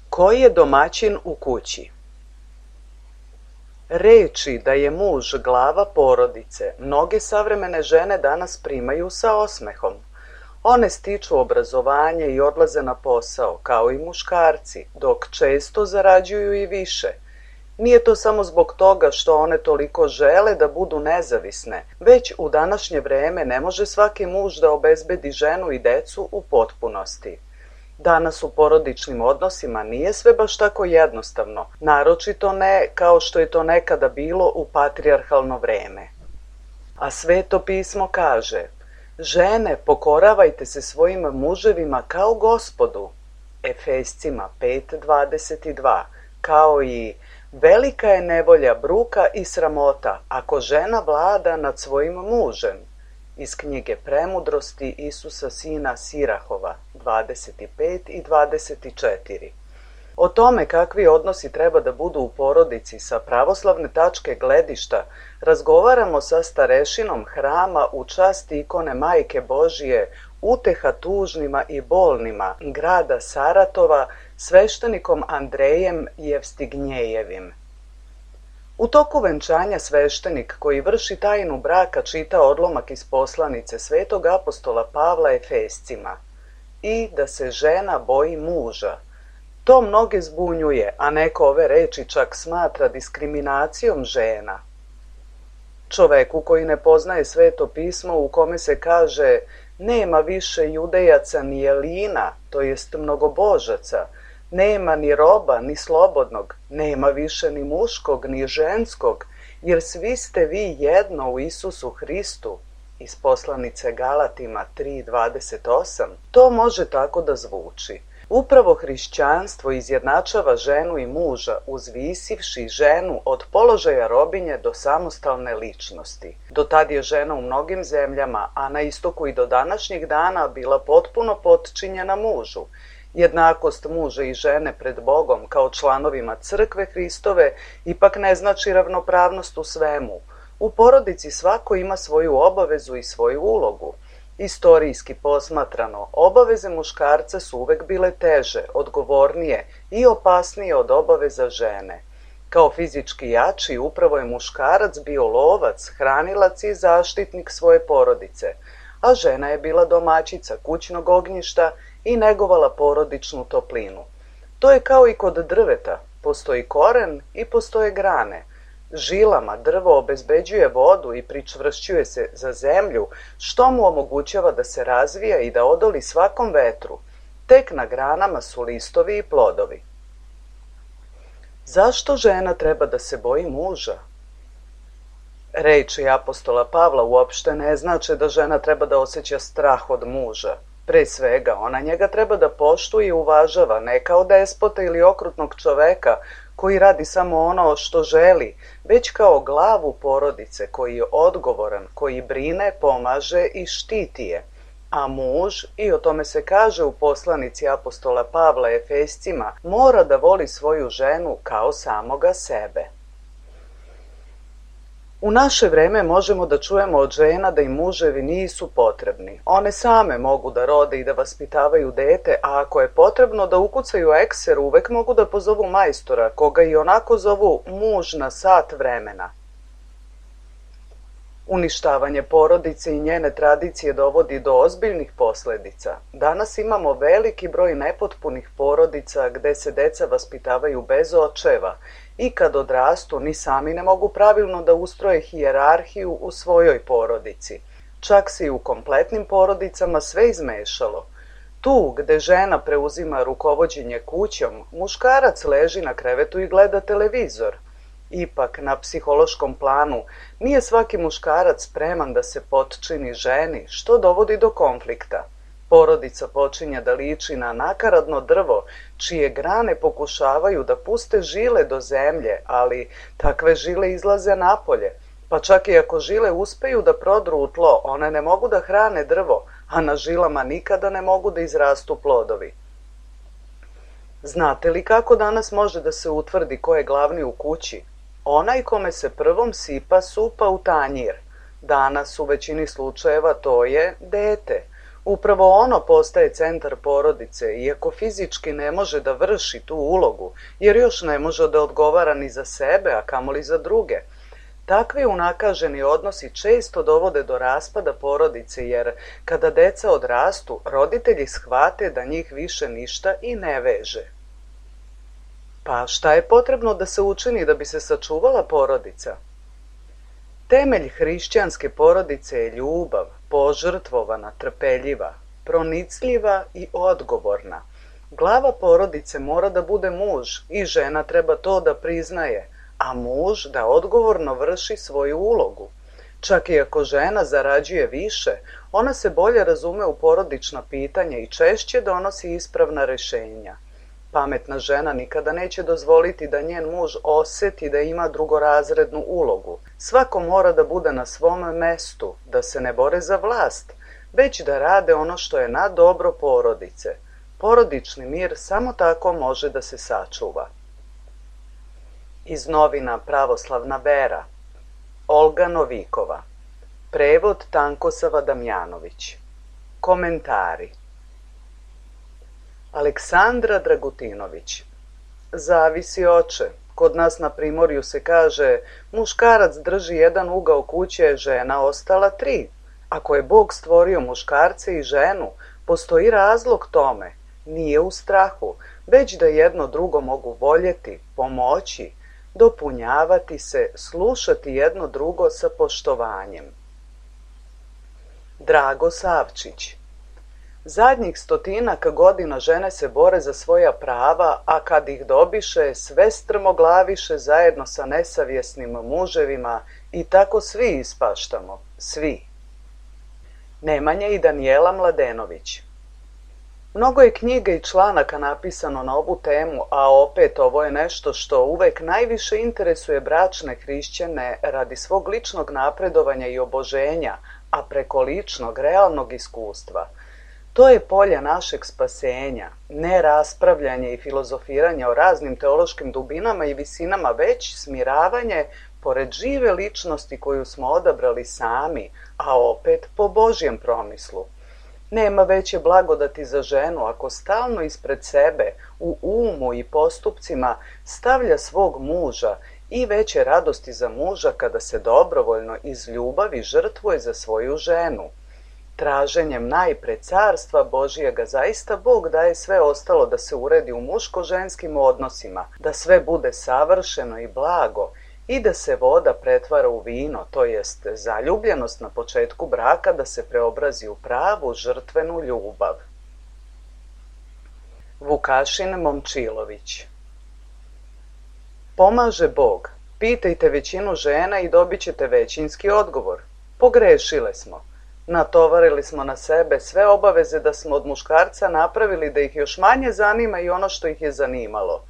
Koji je domaćin u kući? Reči da je muž glava porodice mnoge savremene žene danas primaju sa osmehom. One stiču obrazovanje i odlaze na posao, kao i muškarci, dok često zarađuju i više. Nije to samo zbog toga što one toliko žele da budu nezavisne, već u današnje vreme ne može svaki muž da obezbedi ženu i decu u potpunosti. Danas u porodičnim odnosima nije sve baš tako jednostavno, naročito ne kao što je to nekada bilo u patrijarhalno vreme. A Sveto pismo kaže: žene, pokoravajte se svojim muževima kao Gospodu, Efescima 5:22, kao i velika je nevolja, bruka i sramota ako žena vlada nad svojim mužem, iz knjige Premudrosti Isusa sina Sirahova 25 i 24. O tome kakvi odnosi treba da budu u porodici sa pravoslavne tačke gledišta razgovaramo sa starešinom hrama u čast ikone Majke Božije, uteha tužnima i bolnima grada Saratova, sveštenikom Andrejem Jevstignjejevim. U toku venčanja sveštenik koji vrši tajnu braka čita odlomak iz poslanice svetog apostola Pavla Efescima: i da se žena boji muža. To mnoge zbunjuje, a neko ove reči čak smatra diskriminacijom žena. Čoveku koji ne poznaje Sveto pismo u kome se kaže nema više judejaca ni jelina, to jest mnogobožaca, nema ni roba, ni slobodnog, nema više ni muškog, ni ženskog, jer svi ste vi jedno u Isusu Hristu, iz poslanice Galatima 3:28, to može tako da zvuči. Upravo hrišćanstvo izjednačava ženu i muža, uzvisivši ženu od položaja robinje do samostalne ličnosti. Do tad je žena u mnogim zemljama, a na istoku i do današnjeg dana, bila potpuno potčinjena mužu. Jednakost muža i žene pred Bogom kao članovima crkve Hristove ipak ne znači ravnopravnost u svemu. U porodici svako ima svoju obavezu i svoju ulogu. Istorijski posmatrano, obaveze muškarca su uvek bile teže, odgovornije i opasnije od obaveza žene. Kao fizički jači, upravo je muškarac bio lovac, hranilac i zaštitnik svoje porodice, a žena je bila domaćica kućnog ognjišta i negovala porodičnu toplinu. To je kao i kod drveta, postoji koren i postoje grane. Žilama drvo obezbeđuje vodu i pričvršćuje se za zemlju, što mu omogućava da se razvija i da odoli svakom vetru. Tek na granama su listovi i plodovi. Zašto žena treba da se boji muža? Reči apostola Pavla uopšte ne znače da žena treba da osjeća strah od muža. Pre svega, ona njega treba da poštuje i uvažava, ne kao despota ili okrutnog čoveka koji radi samo ono što želi, već kao glavu porodice, koji je odgovoran, koji brine, pomaže i štiti je. A muž, i o tome se kaže u poslanici apostola Pavla Efescima, mora da voli svoju ženu kao samoga sebe. U naše vreme možemo da čujemo od žena da im muževi nisu potrebni. One same mogu da rode i da vaspitavaju dete, a ako je potrebno da ukucaju ekser, uvek mogu da pozovu majstora, koga i onako zovu muž na sat vremena. Uništavanje porodice i njene tradicije dovodi do ozbiljnih posledica. Danas imamo veliki broj nepotpunih porodica gde se deca vaspitavaju bez očeva i kad odrastu ni sami ne mogu pravilno da ustroje hijerarhiju u svojoj porodici. Čak se i u kompletnim porodicama sve izmešalo. Tu gde žena preuzima rukovođenje kućom, muškarac leži na krevetu i gleda televizor. Ipak, na psihološkom planu, nije svaki muškarac spreman da se potčini ženi, što dovodi do konflikta. Porodica počinje da liči na nakaradno drvo, čije grane pokušavaju da puste žile do zemlje, ali takve žile izlaze napolje. Pa čak i ako žile uspeju da prodru u tlo, one ne mogu da hrane drvo, a na žilama nikada ne mogu da izrastu plodovi. Znate li kako danas može da se utvrdi ko je glavni u kući? Onaj kome se prvom sipa supa u tanjir. Danas u većini slučajeva to je dete. Upravo ono postaje centar porodice, iako fizički ne može da vrši tu ulogu, jer još ne može da odgovara ni za sebe, a kamoli za druge. Takvi unakaženi odnosi često dovode do raspada porodice, jer kada deca odrastu, roditelji shvate da njih više ništa i ne veže. Pa šta je potrebno da se učini da bi se sačuvala porodica? Temelj hrišćanske porodice je ljubav, požrtvovana, trpeljiva, pronicljiva i odgovorna. Glava porodice mora da bude muž i žena treba to da priznaje, a muž da odgovorno vrši svoju ulogu. Čak i ako žena zarađuje više, ona se bolje razume u porodična pitanja i češće donosi ispravna rešenja. Pametna žena nikada neće dozvoliti da njen muž oseti da ima drugorazrednu ulogu. Svako mora da bude na svom mestu, da se ne bore za vlast, već da rade ono što je na dobro porodice. Porodični mir samo tako može da se sačuva. Iz novina Pravoslavna vera. Olga Novikova. Prevod Tankosava Damjanović. Komentari. Aleksandra Dragutinović. Zavisi, oče. Kod nas na primorju se kaže, muškarac drži jedan ugao kuće, žena ostala 3. Ako je Bog stvorio muškarce i ženu, postoji razlog tome. Nije u strahu, već da jedno drugo mogu voljeti, pomoći, dopunjavati se, slušati jedno drugo sa poštovanjem. Drago Savčić. Zadnjih 100 godina žene se bore za svoja prava, a kad ih dobiše, sve strmoglaviše zajedno sa nesavjesnim muževima i tako svi ispaštamo, svi. Nemanja i Danijela Mladenović. Mnogo je knjiga i članaka napisano na ovu temu, a opet ovo je nešto što uvek najviše interesuje bračne hrišćane radi svog ličnog napredovanja i oboženja, a preko ličnog, realnog iskustva. To je polje našeg spasenja, ne raspravljanje i filozofiranje o raznim teološkim dubinama i visinama, već smiravanje pored žive ličnosti koju smo odabrali sami, a opet po Božjem promislu. Nema veće blagodati za ženu ako stalno ispred sebe, u umu i postupcima stavlja svog muža i veće radosti za muža kada se dobrovoljno iz ljubavi žrtvuje za svoju ženu. Traženjem najpre carstva Božijega zaista Bog daje sve ostalo da se uredi u muško-ženskim odnosima, da sve bude savršeno i blago i da se voda pretvara u vino, to jest zaljubljenost na početku braka da se preobrazi u pravu žrtvenu ljubav. Vukašin Momčilović. Pomaže Bog. Pitajte većinu žena i dobit ćete većinski odgovor. Pogrešile smo. Natovarili smo na sebe sve obaveze da smo od muškarca napravili da ih još manje zanima i ono što ih je zanimalo.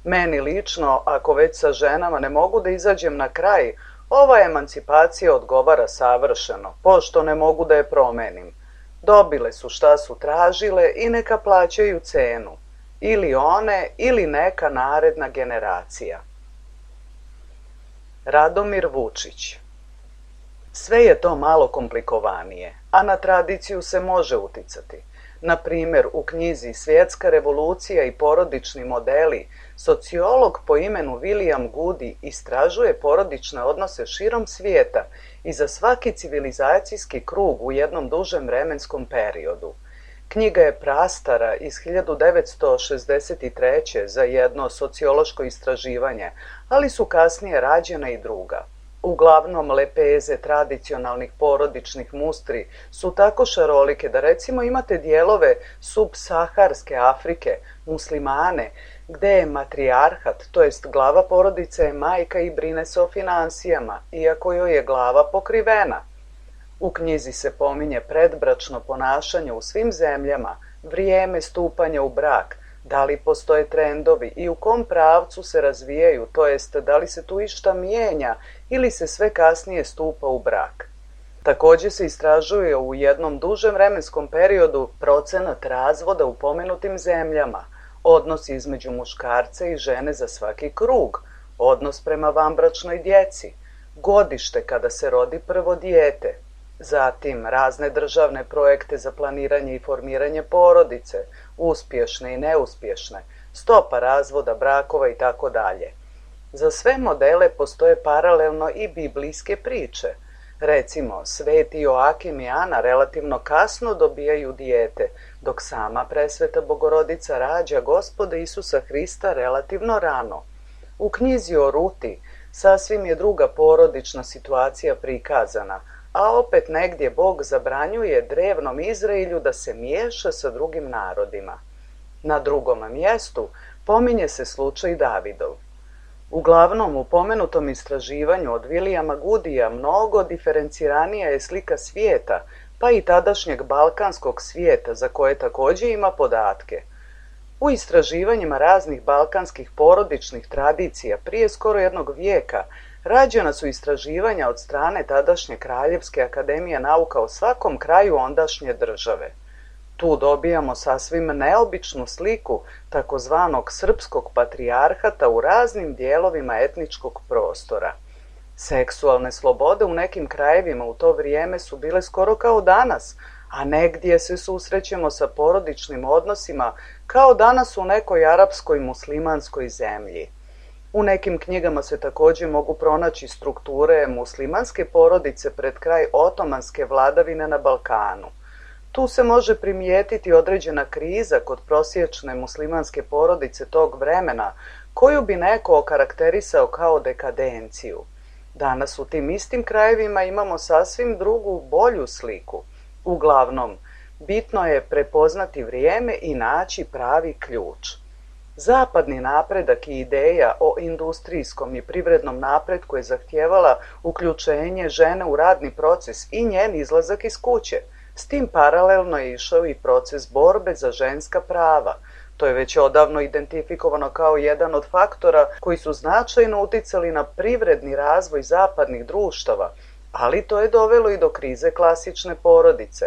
Meni lično, ako već sa ženama ne mogu da izađem na kraj, ova emancipacija odgovara savršeno, pošto ne mogu da je promenim. Dobile su šta su tražile i neka plaćaju cenu. Ili one, ili neka naredna generacija. Radomir Vučić. Sve je to malo komplikovanije, a na tradiciju se može uticati. Na primjer, u knjizi Svjetska revolucija i porodični modeli, sociolog po imenu William Goody istražuje porodične odnose širom svijeta i za svaki civilizacijski krug u jednom dužem vremenskom periodu. Knjiga je prastara iz 1963. za jedno sociološko istraživanje, ali su kasnije rađena i druga. Uglavnom, lepeze tradicionalnih porodičnih mustri su tako šarolike da recimo imate dijelove subsaharske Afrike, muslimane, gde je matrijarhat, to jest glava porodice je majka i brine se o finansijama, iako joj je glava pokrivena. U knjizi se pominje predbračno ponašanje u svim zemljama, vrijeme stupanja u brak, da li postoje trendovi i u kom pravcu se razvijaju, to jest da li se tu išta mijenja ili se sve kasnije stupa u brak. Također se istražuje u jednom dužem vremenskom periodu procenat razvoda u pomenutim zemljama, odnos između muškarca i žene za svaki krug, odnos prema vanbračnoj djeci, godište kada se rodi prvo dijete, zatim razne državne projekte za planiranje i formiranje porodice, uspješne i neuspješne, stopa razvoda brakova i tako dalje. Za sve modele postoje paralelno i biblijske priče. Recimo, sveti Joakim i Ana relativno kasno dobijaju dijete, dok sama presveta Bogorodica rađa Gospoda Isusa Hrista relativno rano. U knjizi o Ruti sasvim je druga porodična situacija prikazana, a opet negdje Bog zabranjuje drevnom Izraelju da se miješa sa drugim narodima. Na drugom mjestu pominje se slučaj Davidov. Uglavnom, u pomenutom istraživanju od Williama Goodyja mnogo diferenciranija je slika svijeta, pa i tadašnjeg balkanskog svijeta, za koje također ima podatke. U istraživanjima raznih balkanskih porodičnih tradicija prije skoro jednog vijeka rađena su istraživanja od strane tadašnje Kraljevske akademije nauka o svakom kraju ondašnje države. Tu dobijamo sasvim neobičnu sliku takozvanog srpskog patrijarhata u raznim dijelovima etničkog prostora. Seksualne slobode u nekim krajevima u to vrijeme su bile skoro kao danas, a negdje se susrećemo sa porodičnim odnosima kao danas u nekoj arapskoj muslimanskoj zemlji. U nekim knjigama se također mogu pronaći strukture muslimanske porodice pred kraj otomanske vladavine na Balkanu. Tu se može primijetiti određena kriza kod prosječne muslimanske porodice tog vremena, koju bi neko okarakterisao kao dekadenciju. Danas u tim istim krajevima imamo sasvim drugu, bolju sliku. Uglavnom, bitno je prepoznati vrijeme i naći pravi ključ. Zapadni napredak i ideja o industrijskom i privrednom napretku je zahtijevala uključenje žene u radni proces i njen izlazak iz kuće. S tim paralelno je išao i proces borbe za ženska prava. To je već odavno identifikovano kao jedan od faktora koji su značajno uticali na privredni razvoj zapadnih društava, ali to je dovelo i do krize klasične porodice.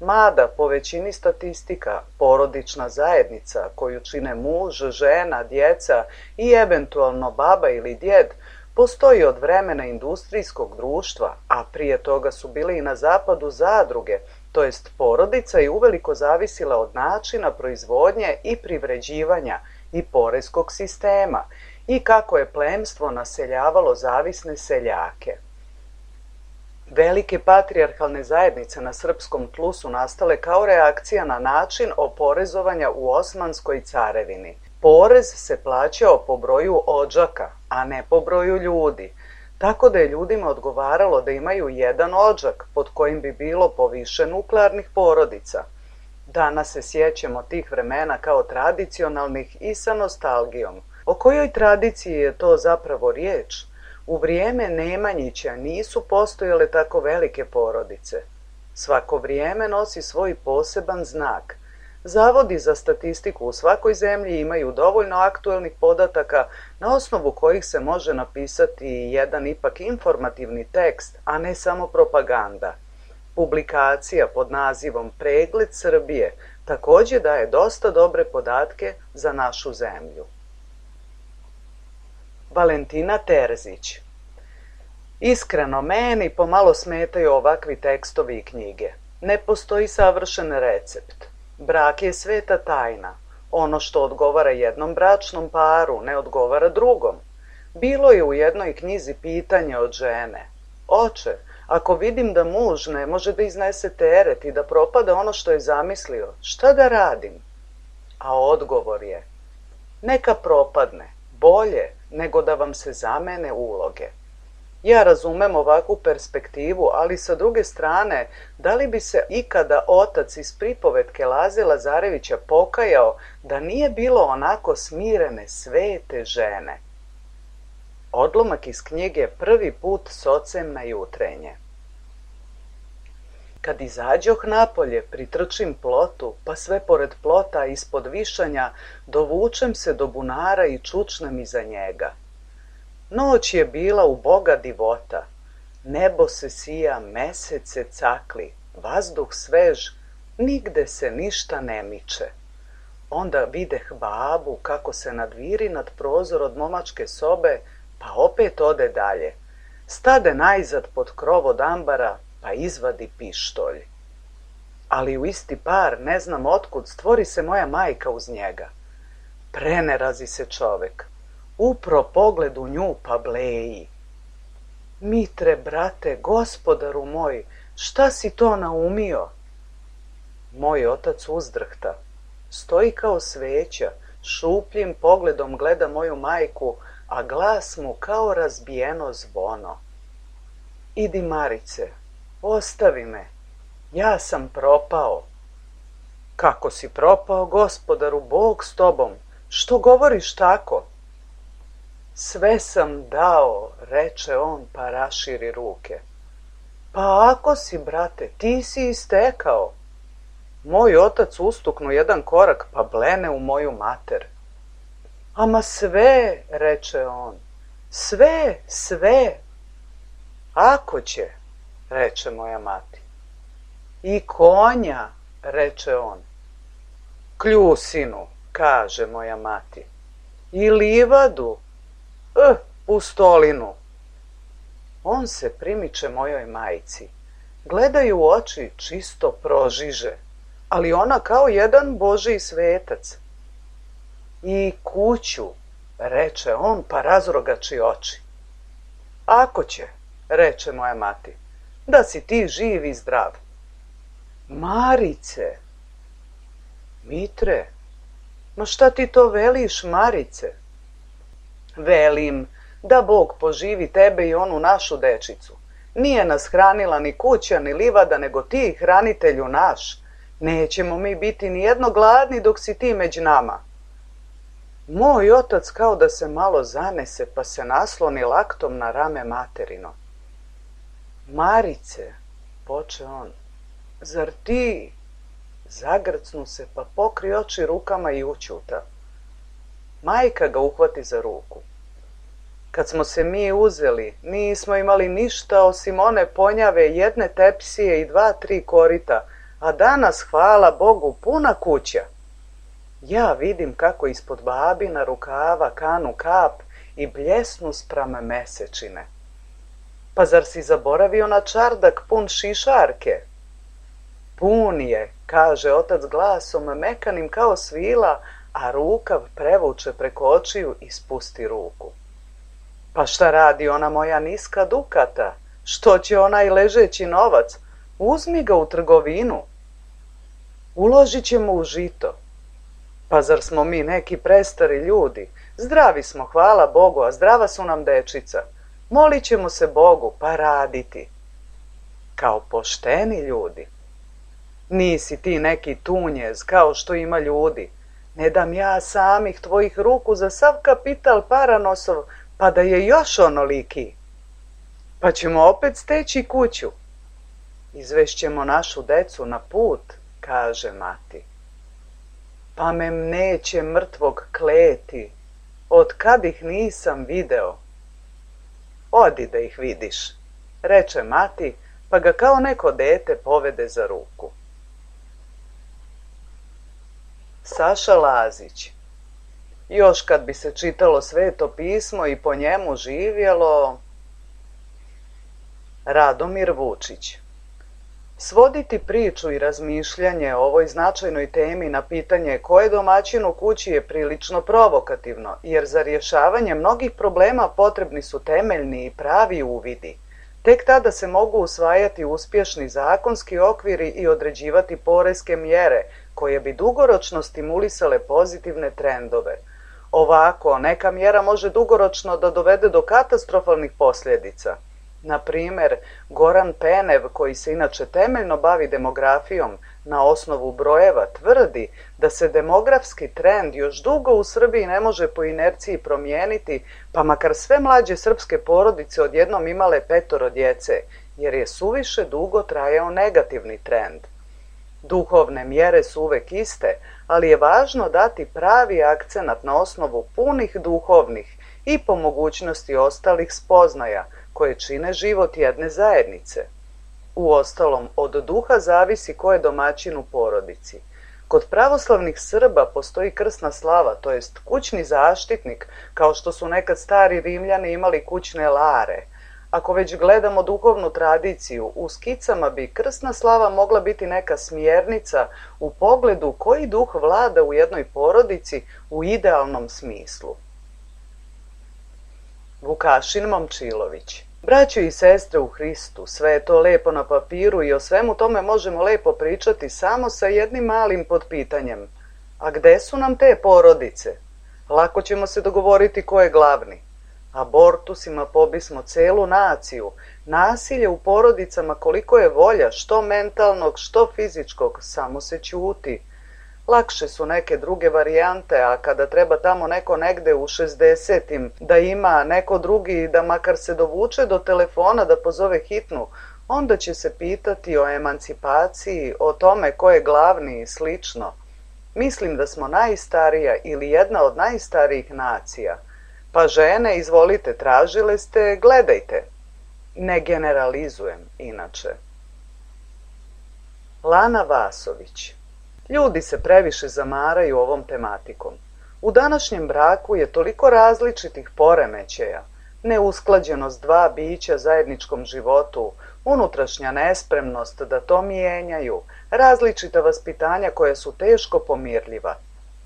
Mada, po većini statistika, porodična zajednica koju čine muž, žena, djeca i eventualno baba ili djed, postoji od vremena industrijskog društva, a prije toga su bile i na zapadu zadruge, to jest porodica je uveliko zavisila od načina proizvodnje i privređivanja i poreskog sistema i kako je plemstvo naseljavalo zavisne seljake. Velike patrijarhalne zajednice na srpskom tlu su nastale kao reakcija na način oporezovanja u Osmanskoj carevini. Porez se plaćao po broju odžaka, a ne po broju ljudi, tako da je ljudima odgovaralo da imaju jedan odžak pod kojim bi bilo po više nuklearnih porodica. Danas se sjećamo tih vremena kao tradicionalnih i sa nostalgijom. O kojoj tradiciji je to zapravo riječ? U vrijeme Nemanjića nisu postojale tako velike porodice. Svako vrijeme nosi svoj poseban znak. Zavodi za statistiku u svakoj zemlji imaju dovoljno aktuelnih podataka na osnovu kojih se može napisati jedan ipak informativni tekst, a ne samo propaganda. Publikacija pod nazivom Pregled Srbije također daje dosta dobre podatke za našu zemlju. Valentina Terzić. Iskreno, meni pomalo smetaju ovakvi tekstovi i knjige. Ne postoji savršen recept. Brak je sveta tajna. Ono što odgovara jednom bračnom paru ne odgovara drugom. Bilo je u jednoj knjizi pitanje od žene. Oče, ako vidim da muž ne može da iznese teret i da propada ono što je zamislio, šta da radim? A odgovor je, neka propadne, bolje nego da vam se zamene uloge. Ja razumem ovakvu perspektivu, ali sa druge strane, da li bi se ikada otac iz pripovetke Laze Lazarevića pokajao da nije bilo onako smirene, svete žene? Odlomak iz knjige Prvi put s ocem na jutrenje. Kad izađoh napolje, pritrčim plotu, pa sve pored plota ispod višanja dovučem se do bunara i čučnem iza njega. Noć je bila u Boga divota, nebo se sija, mesec se cakli, vazduh svež, nigde se ništa ne miče. Onda videh babu kako se nadviri nad prozor od momačke sobe, pa opet ode dalje. Stade najzad pod krov od ambara, pa izvadi pištolj. Ali u isti par, ne znam otkud, stvori se moja majka uz njega. Prenerazi se čovek. Upro pogled u nju pa bleji. Mitre, brate, gospodaru moj, šta si to naumio? Moj otac uzdrhta. Stoji kao sveća, šupljim pogledom gleda moju majku, a glas mu kao razbijeno zvono. Idi, Marice, ostavi me, ja sam propao. Kako si propao, gospodaru, Bog s tobom, što govoriš tako? Sve sam dao, reče on, pa raširi ruke. Pa ako si, brate, ti si istekao. Moj otac ustuknu jedan korak, pa blene u moju mater. Ama sve, reče on, sve, sve. Ako će, reče moja mati. I konja, reče on. Kljusinu, kaže moja mati. I livadu, pustolinu. On se primiče mojoj majci. Gledaju u oči, čisto prožiže, ali ona kao jedan božji svetac. I kuću, reče on, pa razrogači oči. Ako će, reče moja mati, da si ti živ i zdrav. Marice, Mitre, ma šta ti to veliš, Marice? Velim, da Bog poživi tebe i onu našu dečicu. Nije nas hranila ni kuća, ni livada, nego ti, hranitelju naš. Nećemo mi biti ni jedno gladni dok si ti među nama. Moj otac kao da se malo zanese, pa se nasloni laktom na rame materino. Marice, poče on, Zar ti? Zagrcnu se pa pokri oči rukama i ućuta. Majka ga uhvati za ruku. Kad smo se mi uzeli, nismo imali ništa osim one ponjave, jedne tepsije i 2-3 korita, a danas, hvala Bogu, puna kuća. Ja vidim kako ispod babina rukava kanu kap i bljesnu spram mesečine. Pa zar si zaboravio na čardak pun šišarke? Pun je, kaže otac glasom mekanim kao svila, a rukav prevuče preko očiju i spusti ruku. Pa šta radi ona moja niska dukata? Što će onaj ležeći novac? Uzmi ga u trgovinu. Uložit ćemo u žito. Pa zar smo mi neki prestari ljudi? Zdravi smo, hvala Bogu, a zdrava su nam dečica. Molit ćemo se Bogu, pa raditi. Kao pošteni ljudi. Nisi ti neki tunjez, kao što ima ljudi. Ne dam ja samih tvojih ruku za sav kapital paranosov, pa da je još onoliki. Pa ćemo opet steći kuću. Izvešćemo našu decu na put, kaže mati. Pa me neće mrtvog kleti, od kad ih nisam video. Odi da ih vidiš, reče mati, pa ga kao neko dete povede za ruku. Saša Lazić. Još kad bi se čitalo Sveto pismo i po njemu živjelo. Radomir Vučić. Svoditi priču i razmišljanje o ovoj značajnoj temi na pitanje ko je domaćin u kući je prilično provokativno, jer za rješavanje mnogih problema potrebni su temeljni i pravi uvidi. Tek tada se mogu usvajati uspješni zakonski okviri i određivati poreske mjere koje bi dugoročno stimulisale pozitivne trendove. Ovako, neka mjera može dugoročno da dovede do katastrofalnih posljedica. Na primjer, Goran Penev, koji se inače temeljno bavi demografijom na osnovu brojeva, tvrdi da se demografski trend još dugo u Srbiji ne može po inerciji promijeniti, pa makar sve mlađe srpske porodice odjednom imale 5 djece, jer je suviše dugo trajao negativni trend. Duhovne mjere su uvek iste, ali je važno dati pravi akcenat na osnovu punih duhovnih i po mogućnosti ostalih spoznaja koje čine život jedne zajednice. Uostalom, od duha zavisi ko je domaćin u porodici. Kod pravoslavnih Srba postoji krsna slava, to jest kućni zaštitnik, kao što su nekad stari Rimljani imali kućne lare. Ako već gledamo duhovnu tradiciju, u skicama bi krsna slava mogla biti neka smjernica u pogledu koji duh vlada u jednoj porodici u idealnom smislu. Vukašin Momčilović. Braćo i sestre u Hristu, sve je to lepo na papiru i o svemu tome možemo lepo pričati samo sa jednim malim potpitanjem. A gde su nam te porodice? Lako ćemo se dogovoriti ko je glavni. Abortusima pobismo celu naciju. Nasilje u porodicama koliko je volja, što mentalnog, što fizičkog, samo se ćuti. Lakše su neke druge varijante, a kada treba tamo neko negde u 60-im da ima neko drugi da makar se dovuče do telefona da pozove hitnu, onda će se pitati o emancipaciji, o tome ko je glavni i slično. Mislim da smo najstarija ili jedna od najstarijih nacija. Pa žene, izvolite, tražile ste, gledajte. Ne generalizujem, inače. Lana Vasović. Ljudi se previše zamaraju ovom tematikom. U današnjem braku je toliko različitih poremećaja, neusklađenost dva bića zajedničkom životu, unutrašnja nespremnost da to mijenjaju, različita vaspitanja koja su teško pomirljiva.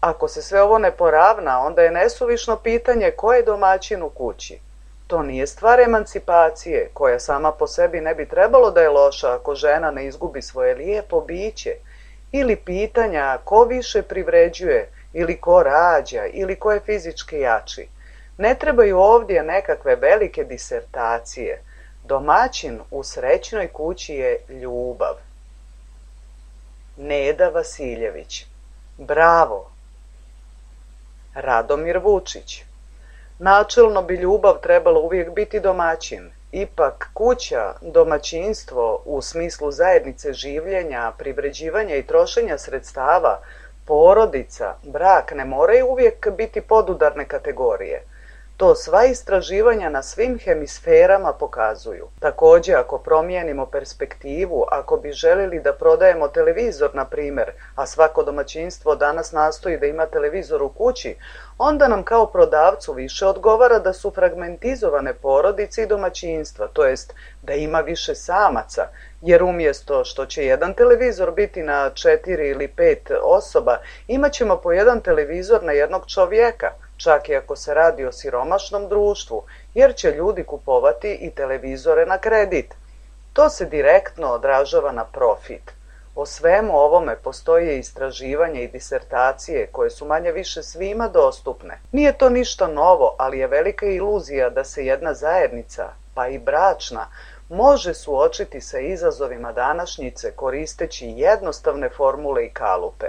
Ako se sve ovo ne poravna, onda je nesuvišno pitanje ko je domaćin u kući. To nije stvar emancipacije, koja sama po sebi ne bi trebalo da je loša ako žena ne izgubi svoje lijepo biće, ili pitanja ko više privređuje, ili ko rađa, ili ko je fizički jači. Ne trebaju ovdje nekakve velike disertacije. Domaćin u srećnoj kući je ljubav. Neda Vasiljević. Bravo! Radomir Vučić. Načelno bi ljubav trebalo uvijek biti domaćin, Ipak kuća, domaćinstvo u smislu zajednice življenja, privređivanja i trošenja sredstava, porodica, brak ne moraju uvijek biti podudarne kategorije. To sva istraživanja na svim hemisferama pokazuju. Također, ako promijenimo perspektivu, ako bi željeli da prodajemo televizor, na primjer, a svako domaćinstvo danas nastoji da ima televizor u kući, onda nam kao prodavcu više odgovara da su fragmentizovane porodice i domaćinstva, to jest da ima više samaca, jer umjesto što će jedan televizor biti na 4 ili 5 osoba, imat ćemo po jedan televizor na jednog čovjeka, čak i ako se radi o siromašnom društvu, jer će ljudi kupovati i televizore na kredit. To se direktno odražava na profit. O svemu ovome postoje istraživanje i disertacije koje su manje više svima dostupne. Nije to ništa novo, ali je velika iluzija da se jedna zajednica, pa i bračna, može suočiti sa izazovima današnjice koristeći jednostavne formule i kalupe.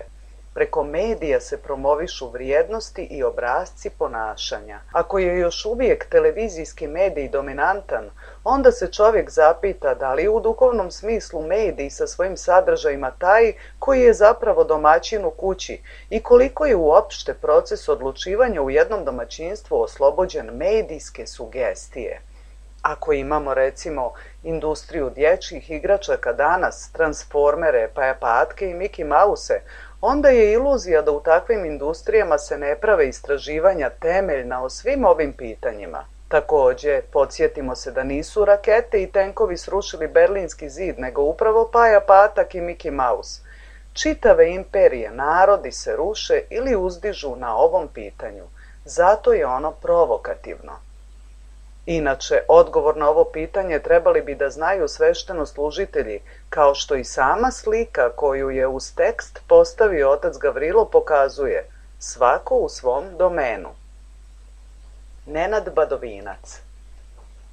Preko medija se promovišu vrijednosti i obrasci ponašanja. Ako je još uvijek televizijski medij dominantan, onda se čovjek zapita da li u duhovnom smislu medij sa svojim sadržajima taj koji je zapravo domaćin u kući i koliko je uopšte proces odlučivanja u jednom domaćinstvu oslobođen medijske sugestije. Ako imamo recimo industriju dječjih igračaka danas, transformere, patke i Mickey Mouse, onda je iluzija da u takvim industrijama se ne prave istraživanja temeljna o svim ovim pitanjima. Također, podsjetimo se da nisu rakete i tenkovi srušili Berlinski zid, nego upravo Paja Patak i Mickey Mouse. Čitave imperije, narodi se ruše ili uzdižu na ovom pitanju. Zato je ono provokativno. Inače, odgovor na ovo pitanje trebali bi da znaju sveštenoslужitelji, kao što i sama slika koju je uz tekst postavio otac Gavrilo pokazuje, svako u svom domenu. Nenad Badovinac.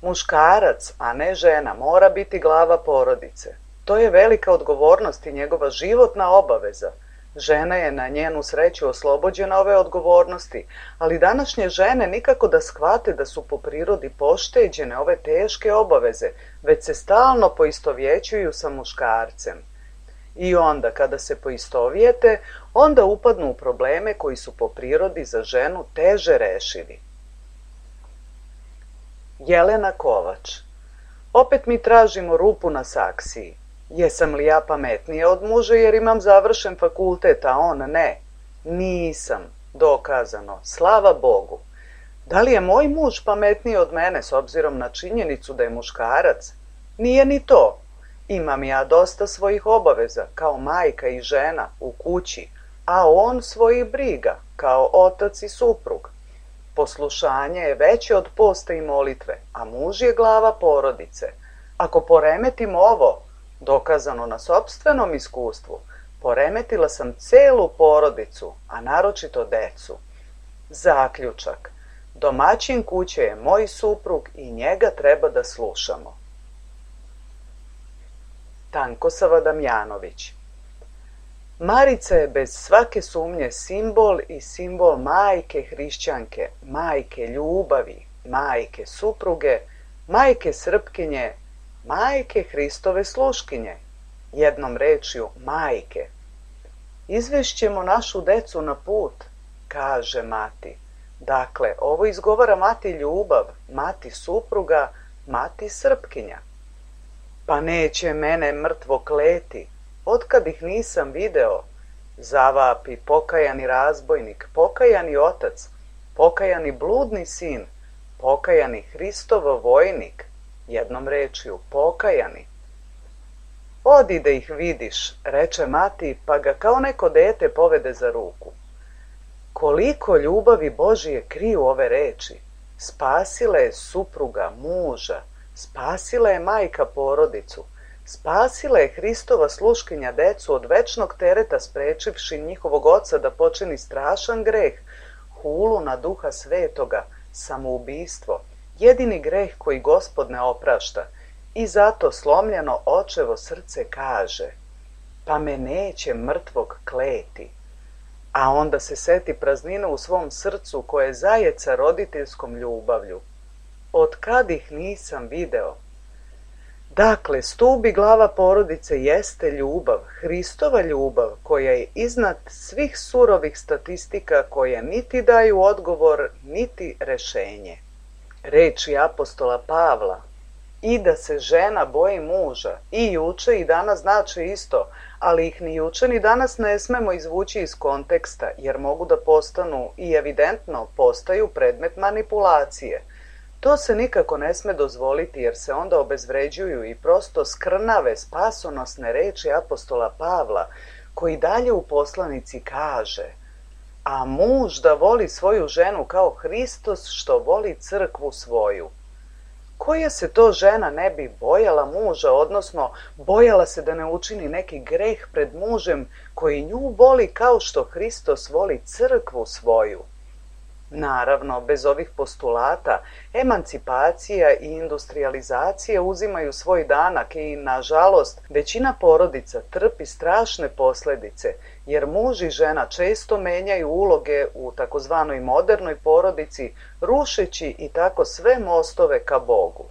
Muškarac, a ne žena, mora biti glava porodice. To je velika odgovornost i njegova životna obaveza. Žena je na njenu sreću oslobođena ove odgovornosti, ali današnje žene nikako da shvate da su po prirodi pošteđene ove teške obaveze, već se stalno poistovjećuju sa muškarcem. I onda, kada se poistovijete, onda upadnu u probleme koji su po prirodi za ženu teže rešivi. Jelena Kovač. Opet mi tražimo rupu na saksiji. Jesam li ja pametnija od muža jer imam završen fakultet, a on ne? Nisam, dokazano, slava Bogu. Da li je moj muž pametniji od mene s obzirom na činjenicu da je muškarac? Nije ni to. Imam ja dosta svojih obaveza, kao majka i žena, u kući, a on svojih briga, kao otac i suprug. Poslušanje je veće od posta i molitve, a muž je glava porodice. Ako poremetim ovo, dokazano na sopstvenom iskustvu, poremetila sam celu porodicu, a naročito decu. Zaključak. Domaćin kuće je moj suprug i njega treba da slušamo. Tankosava Damjanović. Marica je bez svake sumnje simbol i simbol majke hrišćanke, majke ljubavi, majke supruge, majke Srpkinje, majke Hristove sluškinje, jednom rečju majke. Izvešćemo našu decu na put, kaže mati. Dakle, ovo izgovara mati ljubav, mati supruga, mati Srpkinja. Pa neće mene mrtvo kleti, otkad ih nisam video, zavapi pokajani razbojnik, pokajani otac, pokajani bludni sin, pokajani Hristov vojnik, jednom rečju pokajani. Odi da ih vidiš, reče mati, pa ga kao neko dete povede za ruku. Koliko ljubavi Božije kriju ove reči. Spasila je supruga, muža, spasila je majka porodicu, spasila je Hristova sluškinja decu od večnog tereta sprečivši njihovog oca da počini strašan greh, hulu na Duha Svetoga, samoubistvo, jedini greh koji Gospod ne oprašta, i zato slomljeno očevo srce kaže, pa me neće mrtvog kleti. A onda se seti praznine u svom srcu koje zajeca roditeljskom ljubavlju. Od kad ih nisam video, Dakle, stup i glava porodice jeste ljubav, Hristova ljubav, koja je iznad svih surovih statistika koje niti daju odgovor, niti rešenje. Reči apostola Pavla, i da se žena boji muža, i juče i danas znači isto, ali ih ni juče ni danas ne smemo izvući iz konteksta, jer mogu da postanu i evidentno postaju predmet manipulacije. To se nikako ne sme dozvoliti, jer se onda obezvređuju i prosto skrnave spasonosne reči apostola Pavla, koji dalje u poslanici kaže: a muž da voli svoju ženu kao Hristos što voli crkvu svoju. Koja se to žena ne bi bojala muža, odnosno bojala se da ne učini neki greh pred mužem koji nju voli kao što Hristos voli crkvu svoju? Naravno, bez ovih postulata, emancipacija i industrializacija uzimaju svoj danak i, nažalost, većina porodica trpi strašne posledice, jer muž i žena često menjaju uloge u takozvanoj modernoj porodici, rušeći i tako sve mostove ka Bogu.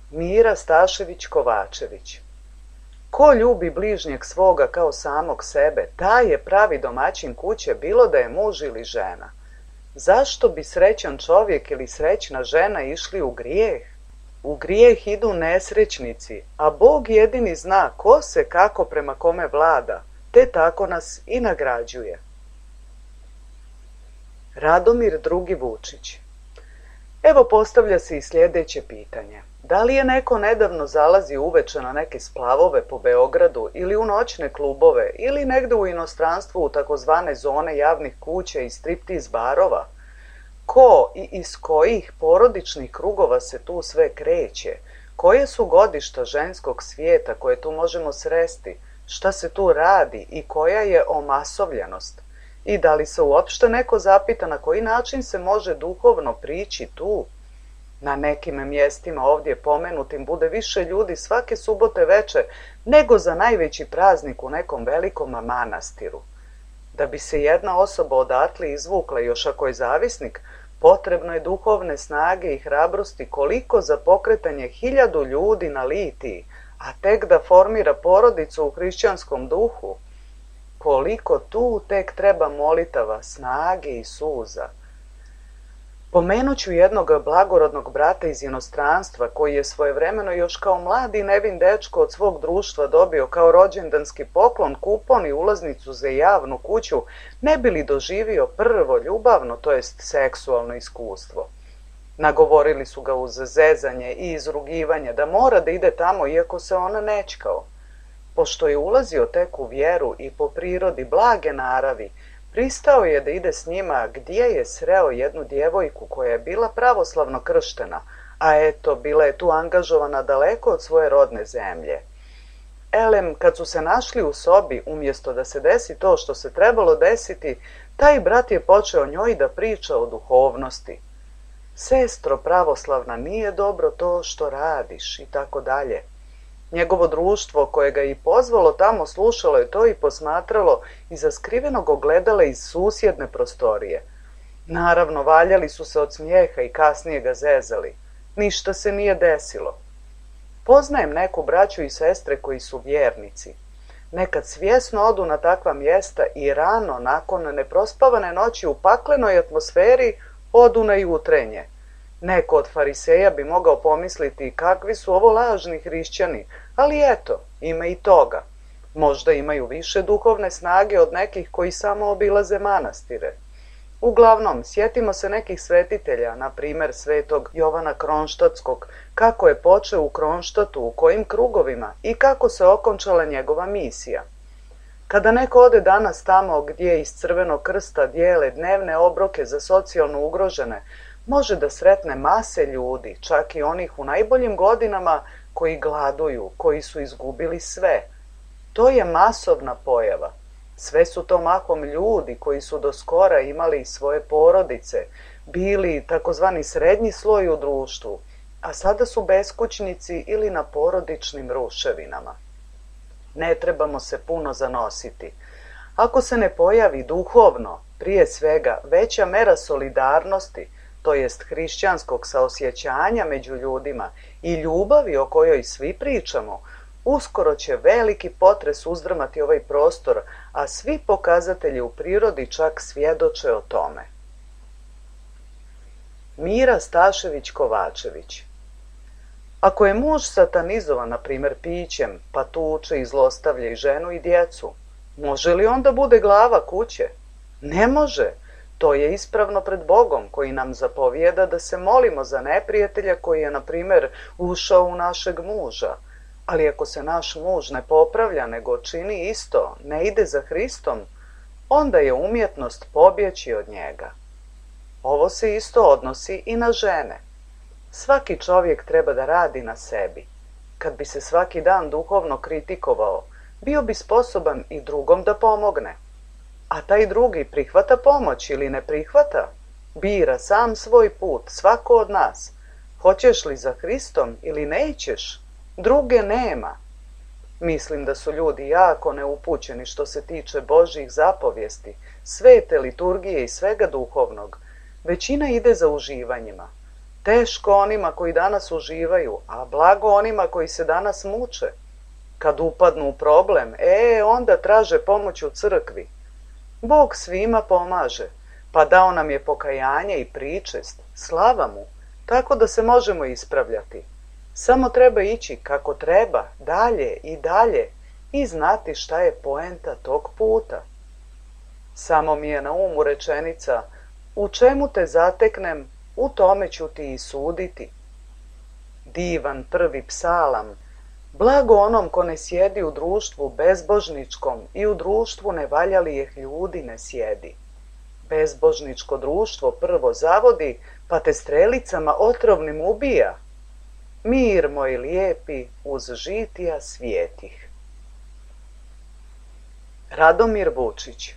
Mira Stašević-Kovačević. Ko ljubi bližnjeg svoga kao samog sebe, taj je pravi domaćin kuće, bilo da je muž ili žena. Zašto bi srećan čovjek ili srećna žena išli u grijeh? U grijeh idu nesrećnici, a Bog jedini zna ko se kako prema kome vlada, te tako nas i nagrađuje. Radomir II. Vučić. Evo postavlja se i sljedeće pitanje. Da li je neko nedavno zalazio uveče na neke splavove po Beogradu ili u noćne klubove ili negde u inostranstvu u takozvane zone javnih kuća i striptiz barova? Ko i iz kojih porodičnih krugova se tu sve kreće? Koje su godišta ženskog svijeta koje tu možemo sresti? Šta se tu radi i koja je omasovljenost? I da li se uopšte neko zapita na koji način se može duhovno prići tu? Na nekim mjestima ovdje pomenutim bude više ljudi svake subote veče nego za najveći praznik u nekom velikom manastiru. Da bi se jedna osoba odatle izvukla, još ako je zavisnik, potrebno je duhovne snage i hrabrosti koliko za pokretanje 1000 ljudi na litiji, a tek da formira porodicu u hrišćanskom duhu. Koliko tu tek treba molitava, snage i suza. Pomenut ću jednog blagorodnog brata iz inostranstva koji je svojevremeno još kao mladi nevin dečko od svog društva dobio kao rođendanski poklon kupon i ulaznicu za javnu kuću, ne bi li doživio prvo ljubavno, to jest seksualno iskustvo. Nagovorili su ga uz zezanje i izrugivanje da mora da ide tamo iako se ona nećkao. Pošto je ulazio tek u vjeru i po prirodi blage naravi, pristao je da ide s njima gdje je sreo jednu djevojku koja je bila pravoslavno krštena, a eto, bila je tu angažovana daleko od svoje rodne zemlje. Elem, kad su se našli u sobi, umjesto da se desi to što se trebalo desiti, taj brat je počeo njoj da priča o duhovnosti. Sestro pravoslavna, nije dobro to što radiš i tako dalje. Njegovo društvo koje ga je i pozvalo tamo slušalo je to i posmatralo iza skrivenog ogledala iz susjedne prostorije. Naravno, valjali su se od smijeha i kasnije ga zezali. Ništa se nije desilo. Poznajem neku braću i sestre koji su vjernici. Nekad svjesno odu na takva mjesta i rano, nakon neprospavane noći u paklenoj atmosferi, odu na jutrenje. Neko od fariseja bi mogao pomisliti kakvi su ovo lažni hrišćani, ali eto, ima i toga. Možda imaju više duhovne snage od nekih koji samo obilaze manastire. Uglavnom, sjetimo se nekih svetitelja, na primjer svetog Jovana Kronštatskog, kako je počeo u Kronštatu, u kojim krugovima i kako se okončala njegova misija. Kada neko ode danas tamo gdje iz Crvenog krsta dijele dnevne obroke za socijalno ugrožene, može da sretne mase ljudi, čak i onih u najboljim godinama koji gladuju, koji su izgubili sve. To je masovna pojava. Sve su to mahom ljudi koji su do skora imali svoje porodice, bili takozvani srednji sloj u društvu, a sada su beskućnici ili na porodičnim ruševinama. Ne trebamo se puno zanositi. Ako se ne pojavi duhovno, prije svega, veća mera solidarnosti, to jest hrišćanskog saosjećanja među ljudima i ljubavi o kojoj svi pričamo, uskoro će veliki potres uzdrmati ovaj prostor, a svi pokazatelji u prirodi čak svjedoče o tome. Mira Stašević-Kovačević. Ako je muž satanizovan, na primjer pićem, pa tuče i zlostavlja i ženu i djecu, može li onda bude glava kuće? Ne može. To je ispravno pred Bogom koji nam zapovijeda da se molimo za neprijatelja koji je, na primjer, ušao u našeg muža. Ali ako se naš muž ne popravlja, nego čini isto, ne ide za Hristom, onda je umjetnost pobjeći od njega. Ovo se isto odnosi i na žene. Svaki čovjek treba da radi na sebi. Kad bi se svaki dan duhovno kritikovao, bio bi sposoban i drugom da pomogne. A taj drugi prihvata pomoć ili ne prihvata, bira sam svoj put, svako od nas. Hoćeš li za Hristom ili nećeš? Druge nema. Mislim da su ljudi jako neupućeni što se tiče Božjih zapovijesti, svete liturgije i svega duhovnog. Većina ide za uživanjima. Teško onima koji danas uživaju, a blago onima koji se danas muče. Kad upadnu u problem, onda traže pomoć u crkvi. Bog svima pomaže, pa dao nam je pokajanje i pričest, slava mu, tako da se možemo ispravljati. Samo treba ići kako treba, dalje i dalje, i znati šta je poenta tog puta. Samo mi je na umu rečenica: u čemu te zateknem, u tome ću ti i suditi. Divan prvi psalam. Blago onom ko ne sjedi u društvu bezbožničkom i u društvu nevaljalijeh ljudi ne sjedi. Bezbožničko društvo prvo zavodi, pa te strelicama otrovnim ubija. Mir moj lijepi uz žitija svijetih. Radomir Vučić.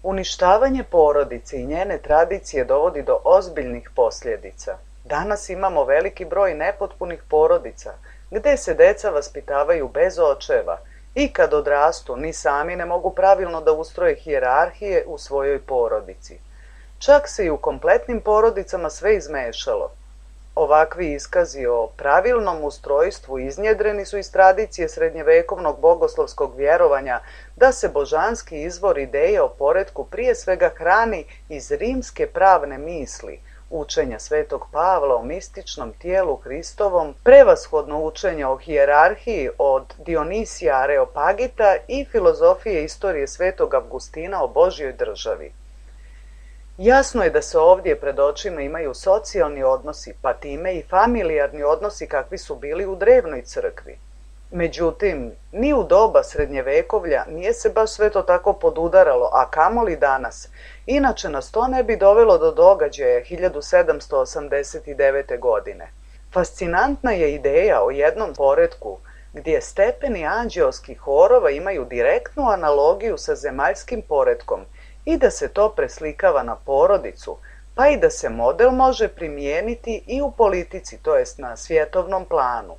Uništavanje porodice i njene tradicije dovodi do ozbiljnih posljedica. Danas imamo veliki broj nepotpunih porodica, gdje se deca vaspitavaju bez očeva i kad odrastu ni sami ne mogu pravilno da ustroje hijerarhije u svojoj porodici. Čak se i u kompletnim porodicama sve izmešalo. Ovakvi iskazi o pravilnom ustrojstvu iznjedreni su iz tradicije srednjevekovnog bogoslovskog vjerovanja da se božanski izvor ideje o poretku prije svega hrani iz rimske pravne misli, učenja svetog Pavla o mističnom tijelu Hristovom, prevashodno učenje o hijerarhiji od Dionisija Areopagita i filozofije istorije svetog Avgustina o Božjoj državi. Jasno je da se ovdje pred očima imaju socijalni odnosi, pa time i familijarni odnosi kakvi su bili u drevnoj crkvi. Međutim, ni u doba srednjevekovlja nije se baš sve to tako podudaralo, a kamoli danas. Inače nas to ne bi dovelo do događaja 1789. godine. Fascinantna je ideja o jednom poretku gdje stepeni anđeoskih horova imaju direktnu analogiju sa zemaljskim poretkom i da se to preslikava na porodicu, pa i da se model može primijeniti i u politici, to jest na svjetovnom planu.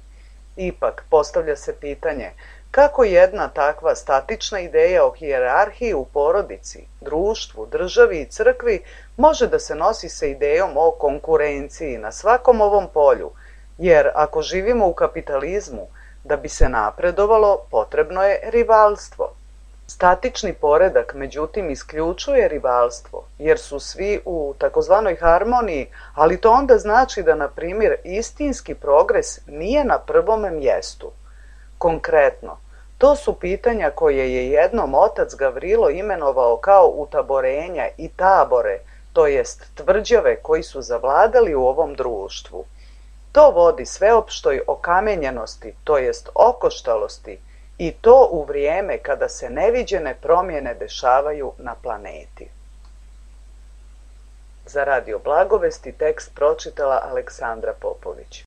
Ipak, postavlja se pitanje kako jedna takva statična ideja o hijerarhiji u porodici, društvu, državi i crkvi može da se nosi sa idejom o konkurenciji na svakom ovom polju, jer ako živimo u kapitalizmu, da bi se napredovalo, potrebno je rivalstvo. Statični poredak, međutim, isključuje rivalstvo, jer su svi u takozvanoj harmoniji, ali to onda znači da, na primjer, istinski progres nije na prvome mjestu. Konkretno, to su pitanja koje je jednom otac Gavrilo imenovao kao utaborenja i tabore, to jest tvrđave koji su zavladali u ovom društvu. To vodi sveopštoj okamenjenosti, to jest okoštalosti, i to u vrijeme kada se neviđene promjene dešavaju na planeti. Za Radio Blagovesti tekst pročitala Aleksandra Popović.